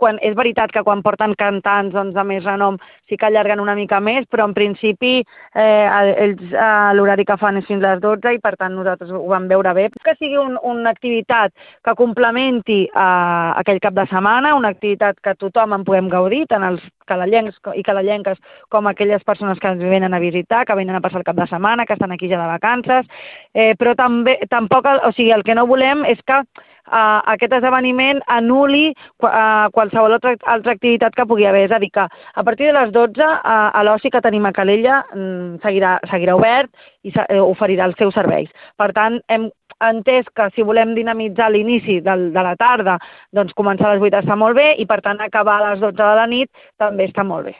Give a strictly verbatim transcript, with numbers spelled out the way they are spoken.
quan, és veritat que quan porten cantants doncs, de més renom sí que allarguen una mica més, però en principi eh, ells eh, l'horari que fan és fins a les dotze i per tant nosaltres ho vam veure bé. Que sigui un, una activitat que complementi eh, aquell cap de setmana, una activitat que tothom en puguem gaudir, tant els calallencs i calallenques com aquelles persones que ens venen a visitar, que venen a passar el cap de setmana, que estan aquí ja de vacances, eh, però també, tampoc, o sigui, el que no volem és que Uh, aquest esdeveniment anul·li uh, qualsevol altra, altra activitat que pugui haver. És a dir, que a partir de les dotze uh, a l'oci que tenim a Calella um, seguirà, seguirà obert i uh, oferirà els seus serveis. Per tant, hem entès que si volem dinamitzar l'inici de la tarda, doncs començar a les vuit està molt bé i per tant acabar a les dotze de la nit també està molt bé.